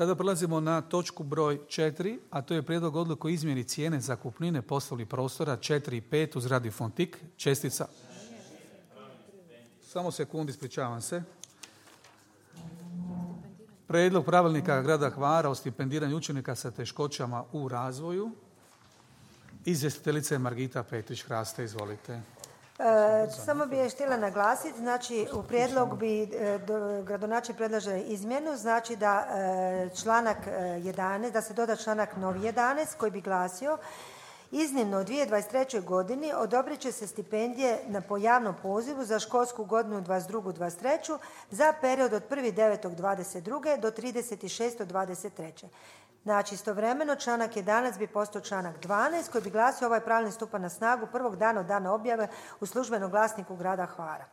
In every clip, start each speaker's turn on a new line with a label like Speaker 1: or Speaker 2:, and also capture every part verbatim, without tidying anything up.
Speaker 1: Sada prelazimo na točku broj četiri, a to je prijedlog odluke o izmjeni cijene zakupnine poslovnih prostora četiri i pet uz Radio Fontik, čestica. Samo sekundi, ispričavam se. Prijedlog pravilnika grada Hvara o stipendiranju učenika sa teškoćama u razvoju. Izvjestiteljica je Margita Petrić-Hraste, izvolite.
Speaker 2: E, samo bih je htjela naglasiti, znači u prijedlog bi e, do, gradonačelnik predlaže izmjenu, znači da e, članak jedanaest, da se doda članak novi jedanaest koji bi glasio: iznimno u dvije tisuće dvadeset trećoj godini odobrit će se stipendije na, po javnom pozivu za školsku godinu dvadeset drugu dvadeset treću za period od prvog devetog dvadeset druge do tridesetog šestog dvadeset treće. Znači, istovremeno članak jedanaest bi postao članak dvanaest koji bi glasio: ovaj pravilnik stupa na snagu prvog dana od dana objave u službenom glasniku grada Hvara.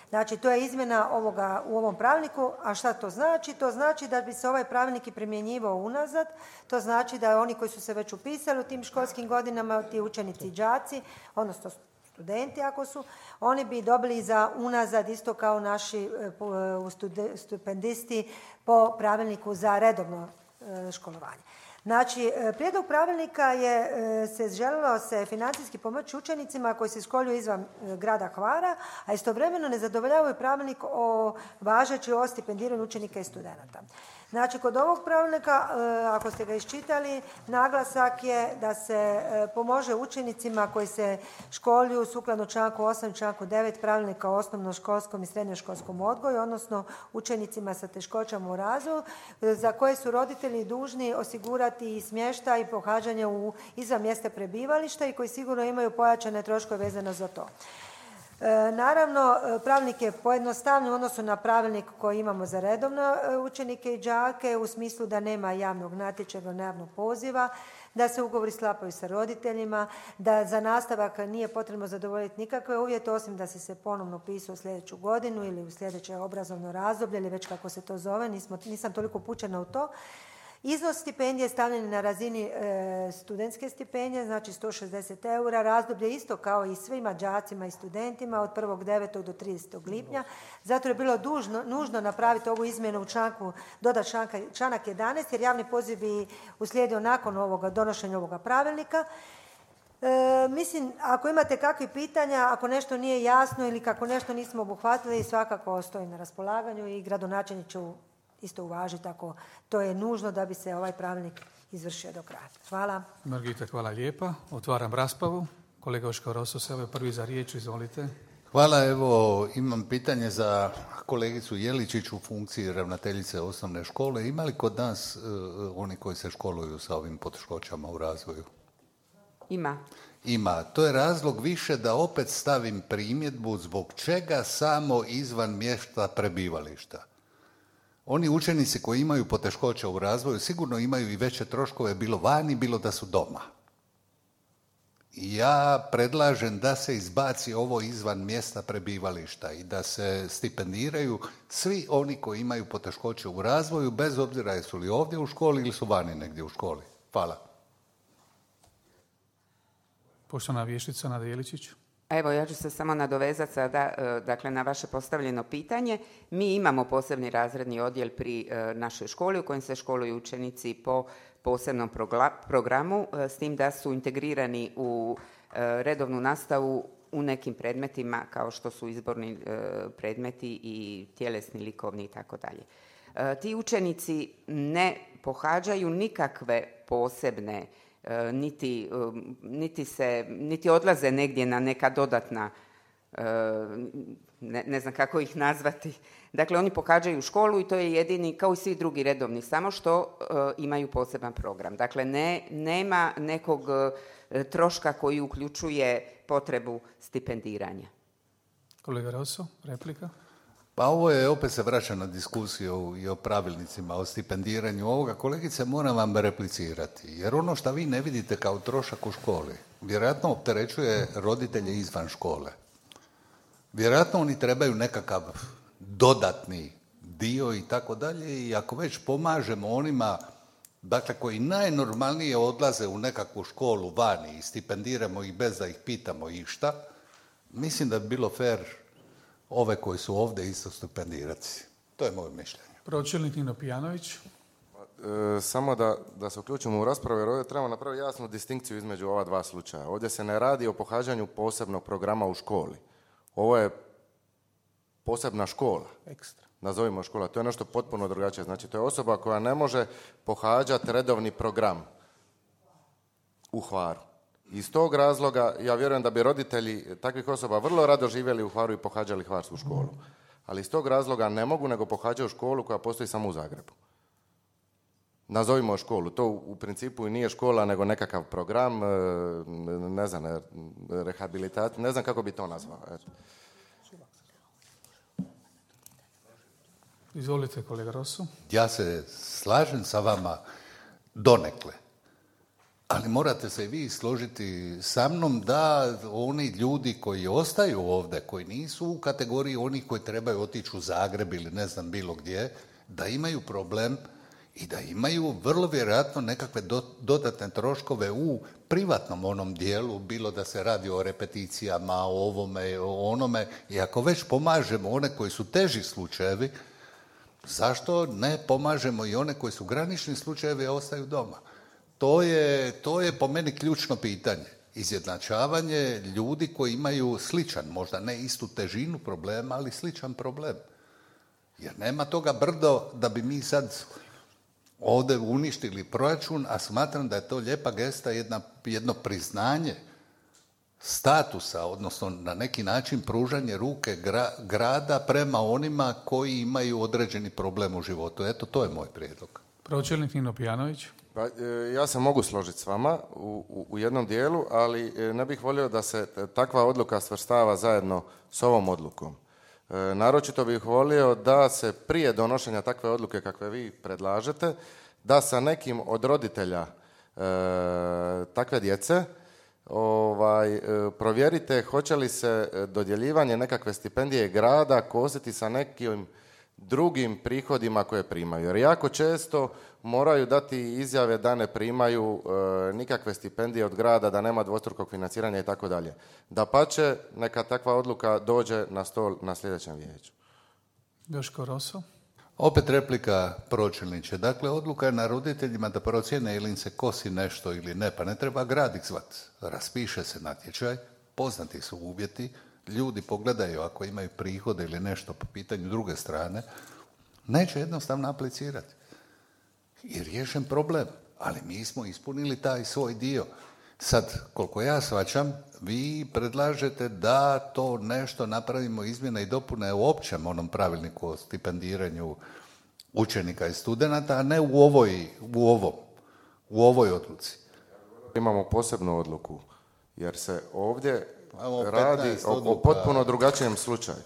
Speaker 2: Znači, to je izmjena ovoga u ovom pravilniku. A šta to znači? To znači da bi se ovaj pravilnik i primjenjivao unazad. To znači da oni koji su se već upisali u tim školskim godinama, ti učenici i đaci, odnosno studenti ako su, oni bi dobili za unazad isto kao naši stipendisti po pravilniku za redovno školovanje. Znači, prijedlog pravilnika je se želilo se financijski pomoći učenicima koji se školuju izvan grada Hvara, a istovremeno ne zadovoljavaju pravilnik o važeći o stipendiranju učenika i studenata. Znači, kod ovog pravilnika, ako ste ga iščitali, naglasak je da se pomože učenicima koji se školuju sukladno članku osam i članku devet pravilnika o osnovnoškolskom i srednjoškolskom odgoju, odnosno učenicima sa teškoćama u razvoju, za koje su roditelji dužni osigurati i smještaj i pohađanje u izvan mjesta prebivališta i koji sigurno imaju pojačane troškove vezano za to. E, naravno, pravilnik je pojednostavljen u odnosu na pravilnik koji imamo za redovne učenike i đake u smislu da nema javnog natječaja, javnog poziva, da se ugovori sklapaju sa roditeljima, da za nastavak nije potrebno zadovoljiti nikakve uvjete osim da si se ponovno upisao u sljedeću godinu ili u sljedeće obrazovno razdoblje ili već kako se to zove, nismo, nisam toliko upućena u to. Iznos stipendije stavljen na razini e, studentske stipendije, znači sto šezdeset eura, razdoblje isto kao i svima đacima i studentima od prvog devetog do tridesetog lipnja. Zato je bilo dužno, nužno napraviti ovu izmjenu u članku, dodati članka, članak jedanaest, jer javni poziv bi uslijedio nakon ovoga, donošenja ovoga pravilnika. E, mislim, ako imate kakvih pitanja, ako nešto nije jasno ili kako nešto nismo obuhvatili, svakako stoji na raspolaganju i gradonačelnik će isto uvažiti ako to je nužno da bi se ovaj pravilnik izvršio do kraja. Hvala.
Speaker 1: Margita, hvala lijepa. Otvaram raspravu. Kolega Oško Roso, se je prvi za riječ, izvolite.
Speaker 3: Hvala, evo imam pitanje za kolegicu Jeličić u funkciji ravnateljice osnovne škole. Ima li kod nas uh, oni koji se školuju sa ovim poteškoćama u razvoju?
Speaker 4: Ima.
Speaker 3: Ima. To je razlog više da opet stavim primjedbu zbog čega samo izvan mjesta prebivališta. Oni učenici koji imaju poteškoća u razvoju sigurno imaju i veće troškove bilo vani, bilo da su doma. Ja predlažem da se izbaci ovo izvan mjesta prebivališta i da se stipendiraju svi oni koji imaju poteškoće u razvoju, bez obzira jesu li ovdje u školi ili su vani negdje u školi. Hvala.
Speaker 1: Poštovana vještica Nada Jeličić.
Speaker 4: Evo, ja ću se samo nadovezati sada, dakle, na vaše postavljeno pitanje. Mi imamo posebni razredni odjel pri našoj školi u kojem se školuju učenici po posebnom programu, s tim da su integrirani u redovnu nastavu u nekim predmetima kao što su izborni predmeti i tjelesni, likovni i tako dalje. Ti učenici ne pohađaju nikakve posebne Niti, niti, se, niti odlaze negdje na neka dodatna, ne, ne znam kako ih nazvati. Dakle, oni pohađaju školu i to je jedini, kao i svi drugi redovni, samo što imaju poseban program. Dakle, ne, nema nekog troška koji uključuje potrebu stipendiranja.
Speaker 1: Kolega Rosso, replika?
Speaker 3: Pa ovo je, opet se vraća na diskusiju i o pravilnicima, o stipendiranju ovoga. Kolegice, moram vam replicirati, jer ono što vi ne vidite kao trošak u školi, vjerojatno opterećuje roditelje izvan škole. Vjerojatno oni trebaju nekakav dodatni dio i tako dalje i ako već pomažemo onima, dakle, koji najnormalnije odlaze u nekakvu školu vani i stipendiramo ih bez da ih pitamo išta, mislim da bi bilo fair ove koji su ovdje isto stipendirati. To je moje mišljenje.
Speaker 1: Pročelnik Nino Pijanović.
Speaker 5: E, samo da, da se uključimo u raspravu, jer ovdje trebamo napraviti jasnu distinkciju između ova dva slučaja. Ovdje se ne radi o pohađanju posebnog programa u školi. Ovo je posebna škola.
Speaker 1: Ekstra.
Speaker 5: Nazovimo škola. To je nešto potpuno drugačije. Znači, to je osoba koja ne može pohađati redovni program u Hvaru. Iz tog razloga, ja vjerujem da bi roditelji takvih osoba vrlo rado živjeli u Hvaru i pohađali hvarsku školu. Ali iz tog razloga ne mogu, nego pohađaju školu koja postoji samo u Zagrebu. Nazovimo školu. To u principu i nije škola, nego nekakav program, ne znam, rehabilitacija, ne znam kako bi to nazvao.
Speaker 1: Izvolite, kolega Rosso.
Speaker 3: Ja se slažem sa vama donekle, ali morate se i vi složiti sa mnom da oni ljudi koji ostaju ovdje, koji nisu u kategoriji onih koji trebaju otići u Zagreb ili ne znam bilo gdje, da imaju problem i da imaju vrlo vjerojatno nekakve do, dodatne troškove u privatnom onom dijelu, bilo da se radi o repeticijama, o ovome, o onome. I ako već pomažemo one koji su teži slučajevi, zašto ne pomažemo i one koji su granični slučajevi, a ostaju doma? To je, to je po meni ključno pitanje. Izjednačavanje ljudi koji imaju sličan, možda ne istu težinu problema, ali sličan problem. Jer nema toga brdo da bi mi sad ovdje uništili proračun, a smatram da je to lijepa gesta, jedna, jedno priznanje statusa, odnosno na neki način pružanje ruke gra, grada prema onima koji imaju određeni problem u životu. Eto, to je moj prijedlog.
Speaker 1: Pročelnik Nino Pijanović.
Speaker 5: Pa, ja se mogu složiti s vama u, u, u jednom dijelu, ali ne bih volio da se takva odluka svrstava zajedno s ovom odlukom. E, naročito bih volio da se prije donošenja takve odluke kakve vi predlažete, da sa nekim od roditelja e, takve djece ovaj, e, provjerite hoće li se dodjeljivanje nekakve stipendije grada kositi sa nekim drugim prihodima koje primaju. Jer jako često moraju dati izjave da ne primaju e, nikakve stipendije od grada, da nema dvostrukog financiranja i tako dalje. Dapače, neka takva odluka dođe na stol na sljedećem vijeću.
Speaker 1: Joško Rosso.
Speaker 3: Opet replika pročelniče. Dakle, odluka je na roditeljima da procjene ili im se kosi nešto ili ne, pa ne treba grad ih zvat. Raspiše se natječaj, poznati su uvjeti, ljudi pogledaju ako imaju prihode ili nešto po pitanju druge strane, neće jednostavno aplicirati. I riješen problem, ali mi smo ispunili taj svoj dio. Sad, koliko ja shvaćam, vi predlažete da to nešto napravimo izmjene i dopune u općem onom pravilniku o stipendiranju učenika i studenata, a ne u ovoj, u ovom, u ovoj odluci.
Speaker 5: Imamo posebnu odluku, jer se ovdje
Speaker 3: Imamo
Speaker 5: radi o, o potpuno drugačijem slučaju.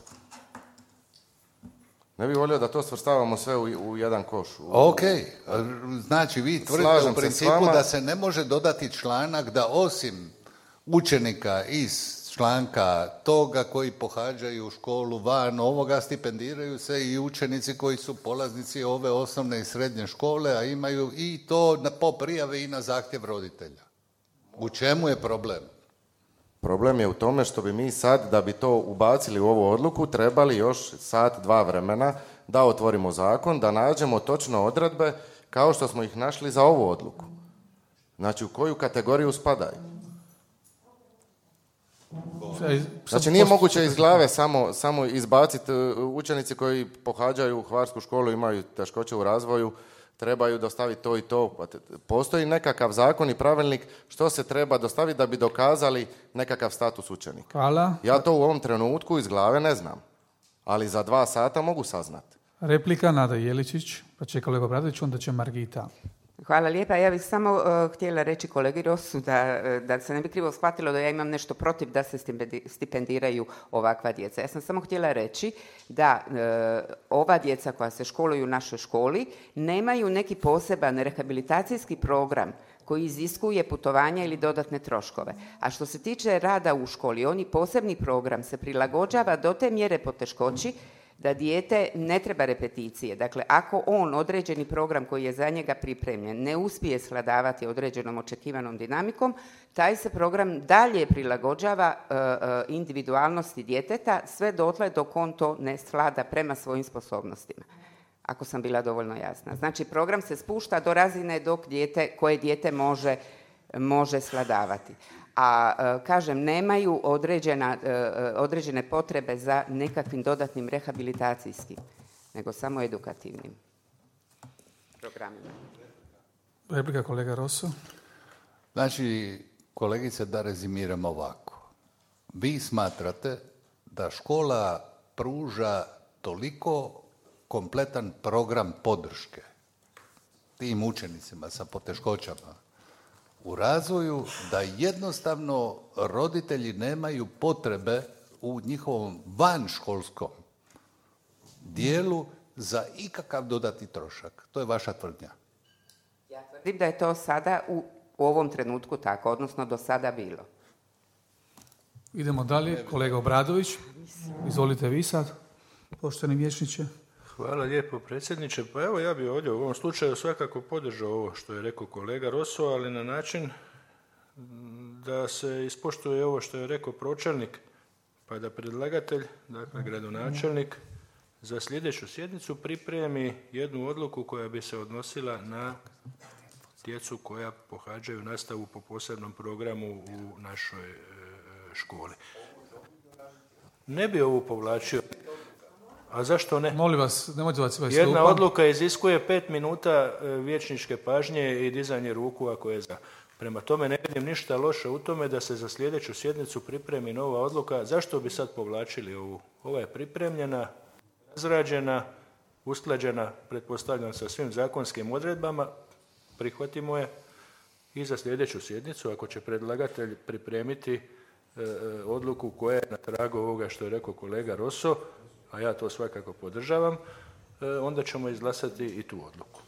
Speaker 5: Ne bih volio da to svrstavamo sve u, u jedan koš. U...
Speaker 3: Ok, znači vi tvrdite u principu da se ne može dodati članak da osim učenika iz članka toga koji pohađaju školu van ovoga, stipendiraju se i učenici koji su polaznici ove osnovne i srednje škole, a imaju i to na, po prijavi i na zahtjev roditelja. U čemu je problem?
Speaker 5: Problem je u tome što bi mi sad, da bi to ubacili u ovu odluku, trebali još sat, dva vremena da otvorimo zakon, da nađemo točno odredbe kao što smo ih našli za ovu odluku. Znači, u koju kategoriju spadaju. Znači, nije moguće iz glave samo, samo izbaciti učenici koji pohađaju hvarsku školu, imaju teškoće u razvoju, trebaju dostaviti to i to. Postoji nekakav zakon i pravilnik što se treba dostaviti da bi dokazali nekakav status učenika.
Speaker 1: Hvala.
Speaker 5: Ja to u ovom trenutku iz glave ne znam, ali za dva sata mogu saznati.
Speaker 1: Replika Nada Jeličić, pa će kolega Obradović, onda će Margita.
Speaker 4: Hvala lijepa. Ja bih samo uh, htjela reći kolegi Rosu da, da se ne bi krivo shvatilo da ja imam nešto protiv da se stipendiraju ovakva djeca. Ja sam samo htjela reći da uh, ova djeca koja se školuju u našoj školi nemaju neki poseban rehabilitacijski program koji iziskuje putovanja ili dodatne troškove. A što se tiče rada u školi, oni posebni program se prilagođava do te mjere poteškoći da dijete ne treba repeticije. Dakle, ako on određeni program koji je za njega pripremljen ne uspije svladavati određenom očekivanom dinamikom, taj se program dalje prilagođava uh, uh, individualnosti djeteta sve dotle dok on to ne svlada prema svojim sposobnostima. ako sam bila dovoljno jasna. Znači, program se spušta do razine dok dijete, koje dijete može, može svladavati. A e, kažem, nemaju određena, e, određene potrebe za nekakvim dodatnim rehabilitacijskim, nego samo edukativnim programima.
Speaker 1: Replika kolega Rosso.
Speaker 3: Znači, kolegice, da rezimiram ovako. Vi smatrate da škola pruža toliko kompletan program podrške tim učenicima sa poteškoćama u razvoju da jednostavno roditelji nemaju potrebe u njihovom vanškolskom dijelu za ikakav dodatni trošak. To je vaša tvrdnja.
Speaker 4: Ja tvrdim da je to sada u, u ovom trenutku tako, odnosno do sada bilo.
Speaker 1: Idemo dalje. Kolega Obradović, izvolite vi sad, poštovani vijećniče.
Speaker 6: Hvala lijepo, predsjedniče. Pa evo, ja bih ovdje u ovom slučaju svakako podržao ovo što je rekao kolega Rosso, ali na način da se ispoštuje ovo što je rekao pročelnik, pa da predlagatelj, dakle gradonačelnik, za sljedeću sjednicu pripremi jednu odluku koja bi se odnosila na djecu koja pohađaju nastavu po posebnom programu u našoj e, školi. Ne bi ovu povlačio. A zašto ne?
Speaker 1: Molim vas, nemojte vas sve
Speaker 6: Jedna odluka iziskuje pet minuta vijećničke pažnje i dizanje ruku ako je za. Prema tome ne vidim ništa loše u tome da se za sljedeću sjednicu pripremi nova odluka. Zašto bi sad povlačili ovu? Ova je pripremljena, razrađena, usklađena, pretpostavljam, sa svim zakonskim odredbama. Prihvatimo je i za sljedeću sjednicu, ako će predlagatelj pripremiti e, odluku koja je na tragu ovoga što je rekao kolega Rosso, a ja to svakako podržavam, onda ćemo izglasati i tu odluku.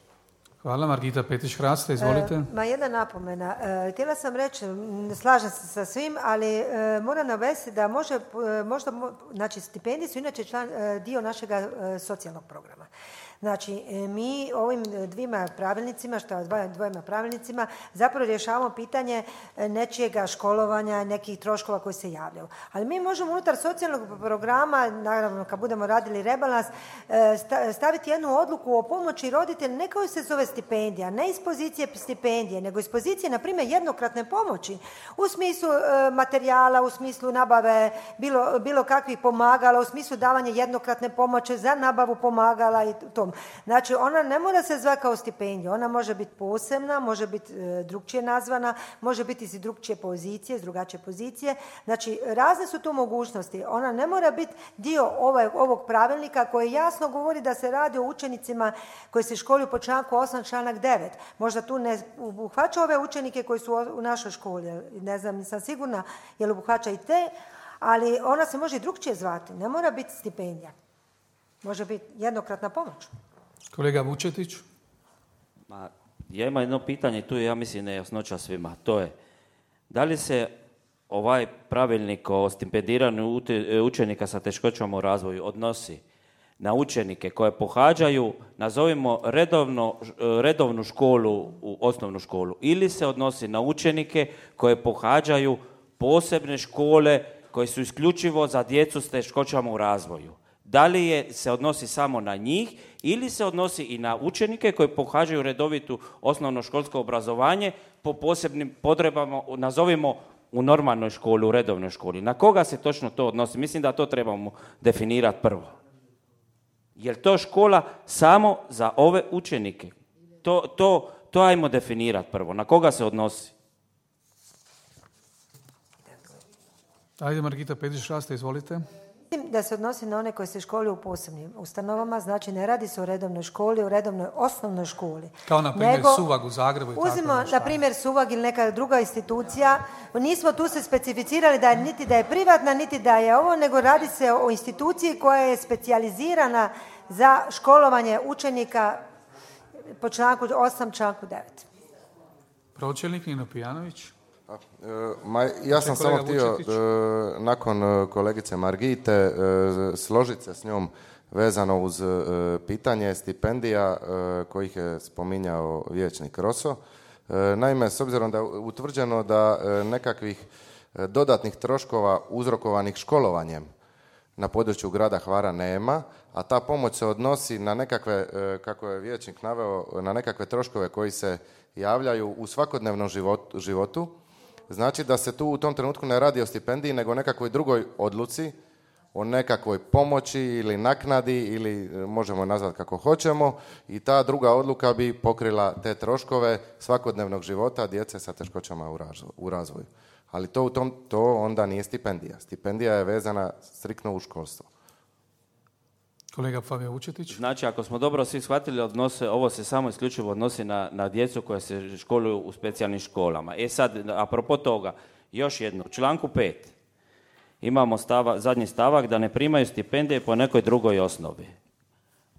Speaker 1: Hvala. Margita Petrić-Hrasta, izvolite.
Speaker 2: E, ma jedna napomena. E, htjela sam reći, ne slažem se sa svim, ali e, moram navesti da može, e, možda, znači stipendije su inače član, e, dio našega e, socijalnog programa. Znači, mi ovim dvima pravilnicima, što dvojima pravilnicima, zapravo rješavamo pitanje nečijega školovanja, nekih troškova koji se javljaju. Ali mi možemo unutar socijalnog programa, naravno kad budemo radili rebalans, staviti jednu odluku o pomoći roditelja, ne kao se zove stipendija, ne iz pozicije stipendije, nego iz pozicije, na primjer, jednokratne pomoći, u smislu materijala, u smislu nabave bilo, bilo kakvih pomagala, u smislu davanja jednokratne pomoći za nabavu pomagala i tom. Znači, ona ne mora se zvati kao stipendija, ona može biti posebna, može biti e, drugčije nazvana, može biti iz drugčije pozicije, iz drugačije pozicije. Znači, razne su tu mogućnosti. Ona ne mora biti dio ovaj, ovog pravilnika koji jasno govori da se radi o učenicima koji se školuju po članku osam, članak devet. Možda tu ne obuhvaća ove učenike koji su u našoj školi. Ne znam, nisam sigurna je li obuhvaća i te, ali ona se može i drugčije zvati. Ne mora biti stipendija. Može biti jednokratna pomoć.
Speaker 1: Kolega Vučetić.
Speaker 7: Ma, ja imam jedno pitanje, tu je, ja mislim, nejasnoća svima. To je, da li se ovaj pravilnik o stipendiranju učenika sa teškoćama u razvoju odnosi na učenike koje pohađaju, nazovimo, redovno, redovnu školu, u osnovnu školu, ili se odnosi na učenike koje pohađaju posebne škole koje su isključivo za djecu s teškoćama u razvoju? Da li je, se odnosi samo na njih ili se odnosi i na učenike koji pohađaju redovitu osnovnoškolsko obrazovanje po posebnim potrebama, nazovimo, u normalnoj školi, u redovnoj školi? Na koga se točno to odnosi? Mislim da to trebamo definirati prvo. Je li to škola samo za ove učenike? To, to, to ajmo definirati prvo. Na koga se odnosi?
Speaker 1: Ajde, Margita Petrić-Hrasta, izvolite.
Speaker 2: Mislim da se odnosi na one koji se školuju u posebnim ustanovama, znači ne radi se o redovnoj školi, o redovnoj osnovnoj školi.
Speaker 1: Kao na primjer
Speaker 2: nego,
Speaker 1: Suvag u Zagrebu i tako.
Speaker 2: Uzmimo na primjer Suvag ili neka druga institucija, nismo tu se specificirali da je niti da je privatna, niti da je ovo, nego radi se o instituciji koja je specijalizirana za školovanje učenika po članku osam, članku devet.
Speaker 1: Pročelnik Nino Pijanović.
Speaker 5: Ma, ja sam samo htio, nakon kolegice Margite, složiti se s njom vezano uz pitanje stipendija kojih je spominjao vijećnik Rosso. Naime, s obzirom da je utvrđeno da nekakvih dodatnih troškova uzrokovanih školovanjem na području grada Hvara nema, a ta pomoć se odnosi na nekakve, kako je vijećnik naveo, na nekakve troškove koji se javljaju u svakodnevnom životu. Znači da se tu u tom trenutku ne radi o stipendiji, nego o nekakvoj drugoj odluci, o nekakvoj pomoći ili naknadi ili možemo nazvati kako hoćemo, i ta druga odluka bi pokrila te troškove svakodnevnog života djece sa teškoćama u razvoju. Ali to, u tom, to onda nije stipendija. Stipendija je vezana striktno u školstvo.
Speaker 1: Kolega Fabio Vučetić.
Speaker 7: Znači, ako smo dobro svi shvatili, odnose, ovo se samo isključivo odnosi na, na djecu koja se školuju u specijalnim školama. E sad, apropo toga, još jedno, u članku pet imamo stava, zadnji stavak da ne primaju stipendije po nekoj drugoj osnovi.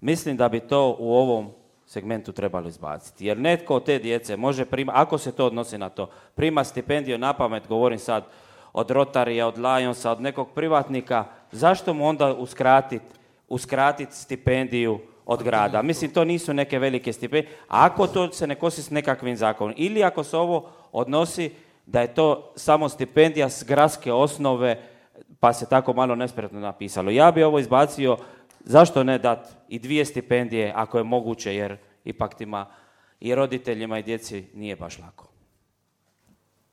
Speaker 7: Mislim da bi to u ovom segmentu trebalo izbaciti. Jer netko od te djece može primati, ako se to odnosi na to, prima stipendiju na pamet, govorim sad od Rotarija, od Lionsa, od nekog privatnika, zašto mu onda uskratiti uskratiti stipendiju od grada? Mislim, to nisu neke velike stipendije. A ako to se ne kosi s nekakvim zakonom, ili ako se ovo odnosi da je to samo stipendija s gradske osnove, pa se tako malo nespretno napisalo. Ja bi ovo izbacio, zašto ne dati i dvije stipendije ako je moguće, jer ipak tima i roditeljima i djeci nije baš lako.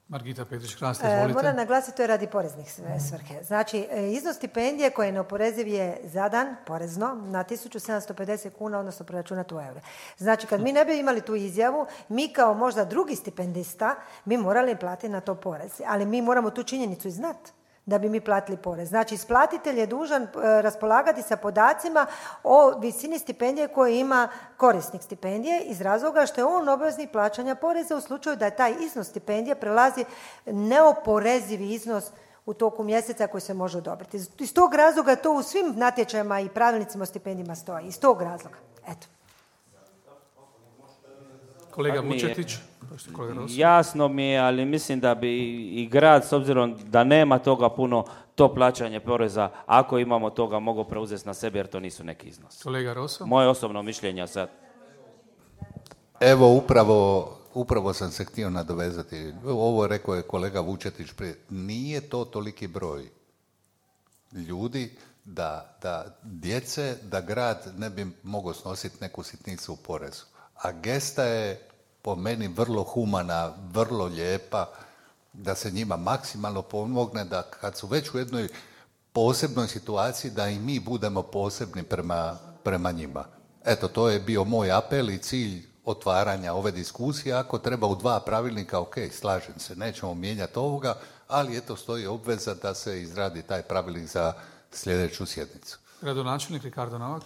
Speaker 1: Margita Petrić-Hrast, izvolite.
Speaker 2: Moram naglasiti, to je radi poreznih svrhe. Znači, iznos stipendije koji je neoporeziv je zadan porezno na tisuću sedamsto pedeset kuna, odnosno preračunat u eure. Znači, kad mi ne bi imali tu izjavu, mi kao možda drugi stipendista bi morali platiti na to porez. Ali mi moramo tu činjenicu i znati da bi mi platili porez. Znači, isplatitelj je dužan raspolagati sa podacima o visini stipendije koje ima korisnik stipendije iz razloga što je on obveznik plaćanja poreza u slučaju da taj iznos stipendije prelazi neoporezivi iznos u toku mjeseca koji se može odobriti. Iz tog razloga to u svim natječajima i pravilnicima o stipendijima stoji. Iz tog razloga. Eto.
Speaker 1: Kolega Vučetić.
Speaker 7: Jasno mi je, ali mislim da bi i grad, s obzirom da nema toga puno, to plaćanje poreza, ako imamo toga, mogu preuzeti na sebe, jer to nisu neki iznos.
Speaker 1: Kolega Roso?
Speaker 7: Moje osobno mišljenje sad.
Speaker 3: Evo, upravo, upravo sam se htio nadovezati. Ovo rekao je kolega Vučetić prije. Nije to toliki broj ljudi da, da djece, da grad ne bi mogao snositi neku sitnicu u porezu. A gesta je po meni vrlo humana, vrlo lijepa, da se njima maksimalno pomogne, da kad su već u jednoj posebnoj situaciji, da i mi budemo posebni prema, prema njima. Eto, to je bio moj apel i cilj otvaranja ove diskusije. Ako treba u dva pravilnika, ok, slažem se, nećemo mijenjati ovoga, ali eto, stoji obveza da se izradi taj pravilnik za sljedeću sjednicu.
Speaker 1: Gradonačelnik Ricardo Novak.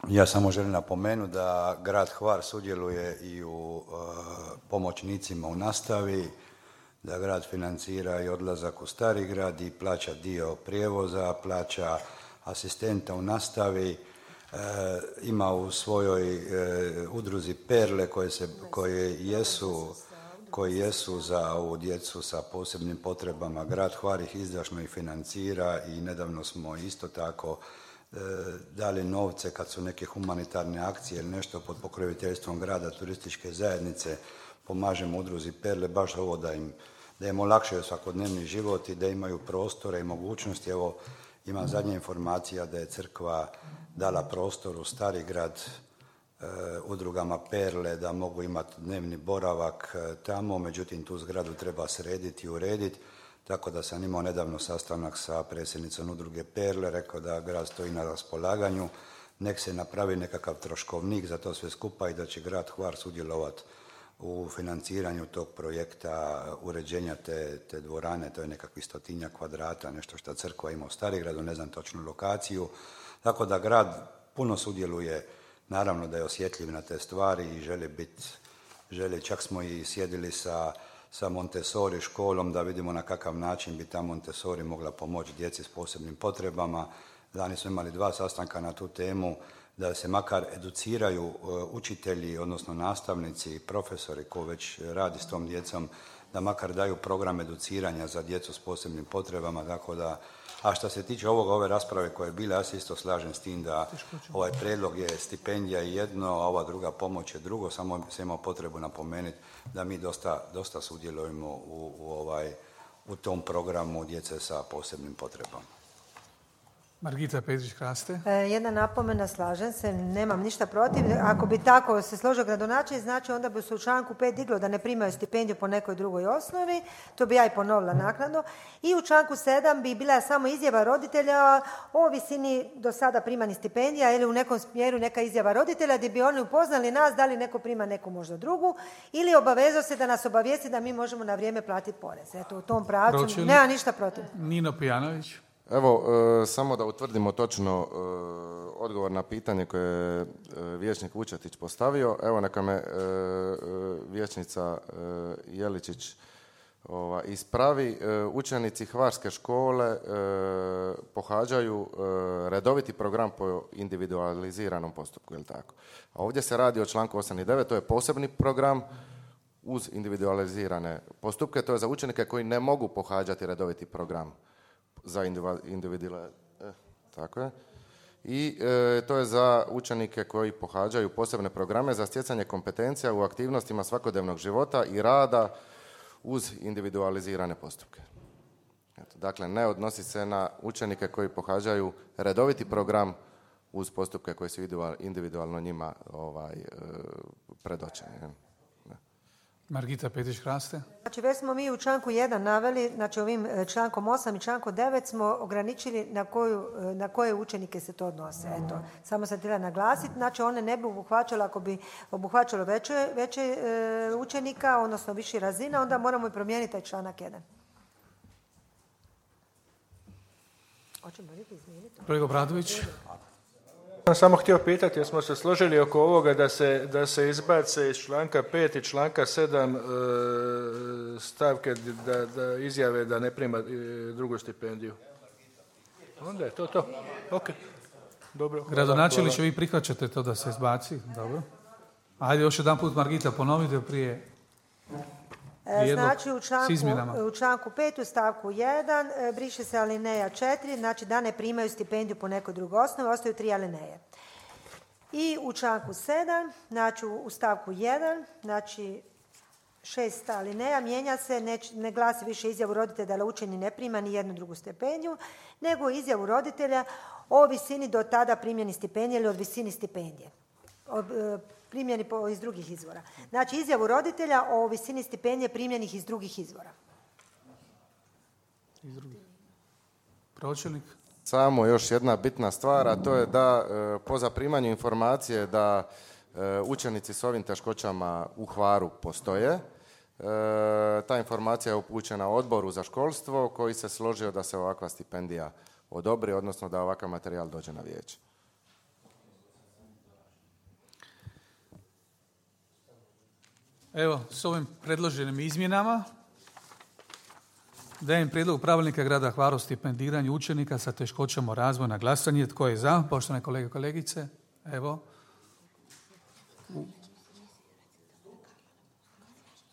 Speaker 8: Ja samo želim napomenuti da grad Hvar sudjeluje i u e, pomoćnicima u nastavi, da grad financira i odlazak u Stari grad i plaća dio prijevoza, plaća asistenta u nastavi, e, ima u svojoj e, udruzi Perle koje, se, koje, jesu, koji jesu za ovu djecu sa posebnim potrebama. Grad Hvar ih izdašno i financira i nedavno smo isto tako dali novce kad su neke humanitarne akcije ili nešto pod pokroviteljstvom grada, turističke zajednice, pomažemo udruzi Perle, baš ovo da im, da im olakšaju svakodnevni život i da imaju prostore i mogućnosti. Evo, imam zadnja informacija da je crkva dala prostor u Stari grad e, udrugama Perle da mogu imati dnevni boravak e, tamo, međutim tu zgradu treba srediti i urediti. Tako da sam imao nedavno sastanak sa predsjednicom udruge Perle, rekao da grad stoji na raspolaganju, nek se napravi nekakav troškovnik za to sve skupa i da će grad Hvar sudjelovati u financiranju tog projekta uređenja te, te dvorane, to je nekakvih stotinja kvadrata, nešto što crkva ima u Starigradu, ne znam točnu lokaciju. Tako da grad puno sudjeluje, naravno da je osjetljiv na te stvari i želi biti, želi, čak smo i sjedili sa sa Montessori školom da vidimo na kakav način bi ta Montessori mogla pomoći djeci s posebnim potrebama. Lani smo imali dva sastanka na tu temu da se makar educiraju učitelji, odnosno nastavnici, profesori koji već radi s tom djecom, da makar daju program educiranja za djecu s posebnim potrebama. Tako da, a što se tiče ovoga, ove rasprave koje je bila, ja se isto slažem s tim da ovaj prijedlog je stipendija jedno, a ova druga pomoć je drugo, samo se imao potrebu napomenuti da mi dosta, dosta sudjelujemo u, u, ovaj, u tom programu djece sa posebnim potrebama.
Speaker 1: Margita Petrić-Kraste.
Speaker 2: E, jedna napomena, slažem se, nemam ništa protiv. Ako bi tako se složio gradonačelnik, znači onda bi se u članku pet diglo da ne primaju stipendiju po nekoj drugoj osnovi, to bi ja i ponovila naknadno. I u članku sedam bi bila samo izjava roditelja o visini do sada primanih stipendija ili u nekom smjeru neka izjava roditelja gdje bi oni upoznali nas da li neko prima neku možda drugu ili obavezao se da nas obavijesti da mi možemo na vrijeme platiti porez. Eto, u tom pravcu
Speaker 1: Pročelnik.
Speaker 2: nema ništa protiv.
Speaker 1: Nino Pijanović.
Speaker 5: Evo, e, samo da utvrdimo točno e, odgovor na pitanje koje je e, vijećnik Vučetić postavio. Evo, neka me e, e, vijećnica e, Jeličić ova, ispravi. E, učenici Hvarske škole e, pohađaju e, redoviti program po individualiziranom postupku, je li tako? A ovdje se radi o članku osam i devet, to je posebni program uz individualizirane postupke, to je za učenike koji ne mogu pohađati redoviti program za individualne, eh, tako je. I e, to je za učenike koji pohađaju posebne programe za stjecanje kompetencija u aktivnostima svakodnevnog života i rada uz individualizirane postupke. Eto, dakle, ne odnosi se na učenike koji pohađaju redoviti program uz postupke koji su individualno njima ovaj, e, predočeni.
Speaker 1: Margita Petrić-Kraste.
Speaker 2: Znači, već smo mi u članku jedan naveli, znači ovim člankom osam i člankom devet smo ograničili na, koju, na koje učenike se to odnose. Eto, samo sam htjela naglasiti, znači one ne bi obuhvaćalo, ako bi obuhvaćalo veće, veće e, učenika, odnosno viši razina, onda moramo i promijeniti taj članak jedan. Hoćemo li izmijeniti?
Speaker 1: Kolega Obradović.
Speaker 6: Ja sam samo htio pitati, jer smo se složili oko ovoga da se, da se izbace iz članka pet i članka sedam e, stavke da, da izjave da ne prima e, drugu stipendiju. Onda je to to. Ok. Dobro.
Speaker 1: Gradonačelniče, vi prihvaćate to da se izbaci? Dobro. Ajde još jedan put, Margita, ponovite prije.
Speaker 2: Znači u članku, u članku pet u stavku jedan briše se alineja četiri, znači da ne primaju stipendiju po nekoj drugoj osnovi, ostaju tri alineje. I u članku sedam, znači u stavku jedan, znači šest alineja, mijenja se, ne, ne glasi više izjavu roditelja da učenik ne prima ni jednu drugu stipendiju, nego izjavu roditelja o visini do tada primljeni stipendije ili od visini stipendije. Od, primljeni po, iz drugih izvora. Znači, izjavu roditelja o visini stipendije primljenih iz drugih izvora.
Speaker 1: Iz drugih. Pročelnik.
Speaker 5: Samo još jedna bitna stvar, a to je da e, po zaprimanju informacije da e, učenici s ovim teškoćama u Hvaru postoje, e, ta informacija je upućena odboru za školstvo koji se složio da se ovakva stipendija odobri, odnosno da ovakav materijal dođe na vijeće.
Speaker 1: Evo, s ovim predloženim izmjenama dajem prijedlog pravilnika grada Hvara o stipendiranju učenika sa teškoćama u razvoju na glasanje. Tko je za? Poštovane kolege i kolegice. Evo. U...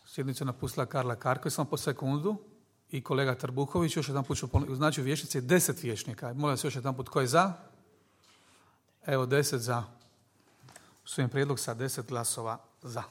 Speaker 1: Sjednicu napustila Karla Karko, samo po sekundu. I kolega Trbuhović, još jedan put ću ponoviti. Znači u vijećnici je deset vijećnika. Molim se još jedan put, tko je za? Evo, deset za. Usvojen prijedlog sa deset glasova za.